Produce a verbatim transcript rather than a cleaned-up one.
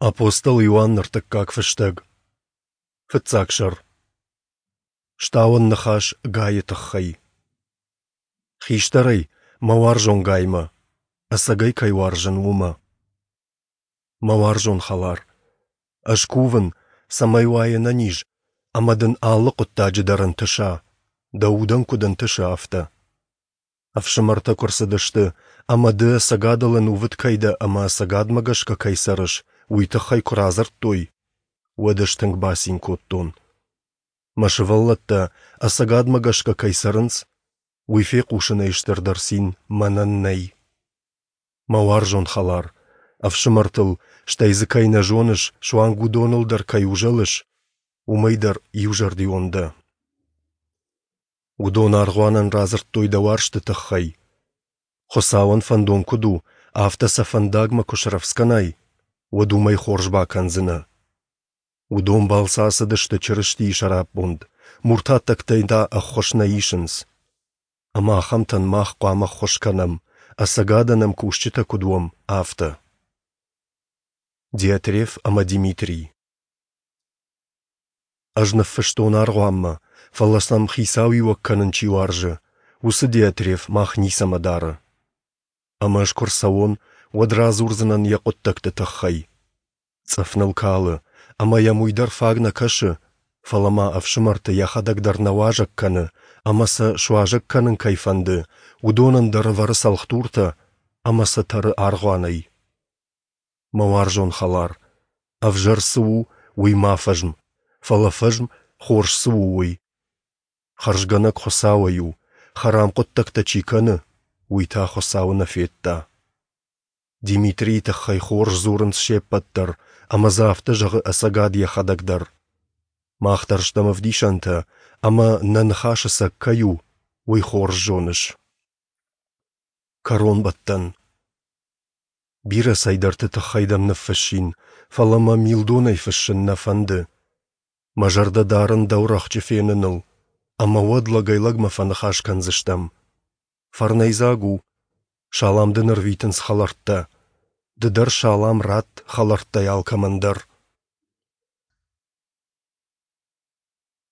Апостол Иоанны ӕртыккаг фыстӕг. Фыццаг сӕр. Стауӕн ныхас Гайы тыххӕй. Хистӕрӕй, мӕ уарзон Гаймӕ, ӕцӕгӕй кӕй уарзын, уымӕ. Мӕ уарзон хӕлар, ӕз кувын, цӕмӕй уай ӕнӕниз ӕмӕ дын алы хъуыддаджы дӕр ӕнтыса, дӕ удӕн куыд ӕнтысы, афтӕ. Ӕфсымӕртӕ куы рцыдысты ӕмӕ ды ӕцӕгадыл ӕнувыд кӕй дӕ ӕмӕ ӕцӕгадмӕ гӕсгӕ кӕй цӕрыс, уый тыххӕй куы радзырдтой, уӕд ӕз тынг бацин кодтон. Мӕ сывӕллӕттӕ ӕцӕгадмӕ гӕсгӕ кӕй цӕрынц, уый фехъусынӕй стырдӕр цин мӕнӕн нӕй. Мӕ уарзон хӕлар, ӕфсымӕртыл, стӕй дзы кӕй нӕ зоныс, суанг уыдоныл дӕр кӕй узӕлыс, уымӕй дӕр иузӕрдион дӕ. Уыдон аргъуанӕн радзырдтой дӕ уарзты тыххӕй. Хуыцауӕн фӕндон куыд у, афтӕ сӕ фӕндагмӕ куы срӕвдз кӕнай, уӕд уымӕй хорз бакӕндзынӕ. Уыдон балцы ацыдысты Чырыстийы сӕраппонд, муртаттӕгтӕй та ӕххуыс нӕ исынц. Ӕмӕ ахӕмтӕн мах хъуамӕ ӕххуыс кӕнӕм, ӕцӕгадӕн ӕмкусджытӕ куыд уӕм, афтӕ. Диотреф ӕмӕ Димитрий. Ӕз ныффыстон аргъуанмӕ, фӕлӕ сӕм хицауиуӕг кӕнын чи уарзы, уыцы Диотреф мах ницӕмӕ дары. Ӕмӕ ӕз куы рцӕуон, уӕд радзурдзынӕн йӕ хъуыддӕгты тыххӕй. Цъыф ныл калы, ӕмӕ йӕм уый дӕр фаг нӕ кӕсы, фӕлӕ ма ӕфсымӕрты йӕхӕдӕг дӕр нӕ уазӕг кӕны, ӕмӕ сӕ суазӕг кӕнын кӕй фӕнды, уыдонӕн дӕр ӕвӕры цӕлхдуртӕ ӕмӕ сӕ тӕры аргъуанӕй. Мӕ уарзон хӕлар, ӕвзӕр цы у, уый ма фӕзм, фӕлӕ фӕзм, хорз цы у, уый. Хӕрзгӕнӕг Хуыцауӕй у, хӕрам хъуыддӕгтӕ чи кӕны, уый та Хуыцауы нӕ федта. Димитрийы тыххӕй хорз дзурынц се ппӕт дӕр, ӕмӕ дзы афтӕ зӕгъы ӕцӕгад йӕхӕдӕг дӕр. Мах дӕр стӕм ӕвдисӕнтӕ, ӕмӕ нӕ ныхас ӕцӕг кӕй у, уый хорз зоныс. Кӕронбӕттӕн. Бирӕ цӕйдӕрты тыххӕй дӕм ныффыссин, фӕлӕ мӕ милдонӕй фыссын нӕ фӕнды. Мӕ зӕрдӕ дарын дӕу рӕхджы феныныл, ӕмӕ уӕд лӕгӕй-лӕгмӕ фӕныхас кӕндзыстӕм. Фӕрнӕйдзаг у. Салам дын ӕрвитынц хӕлӕрттӕ. Ды дӕр салам ратт хӕлӕрттӕй алкӕмӕн дӕр.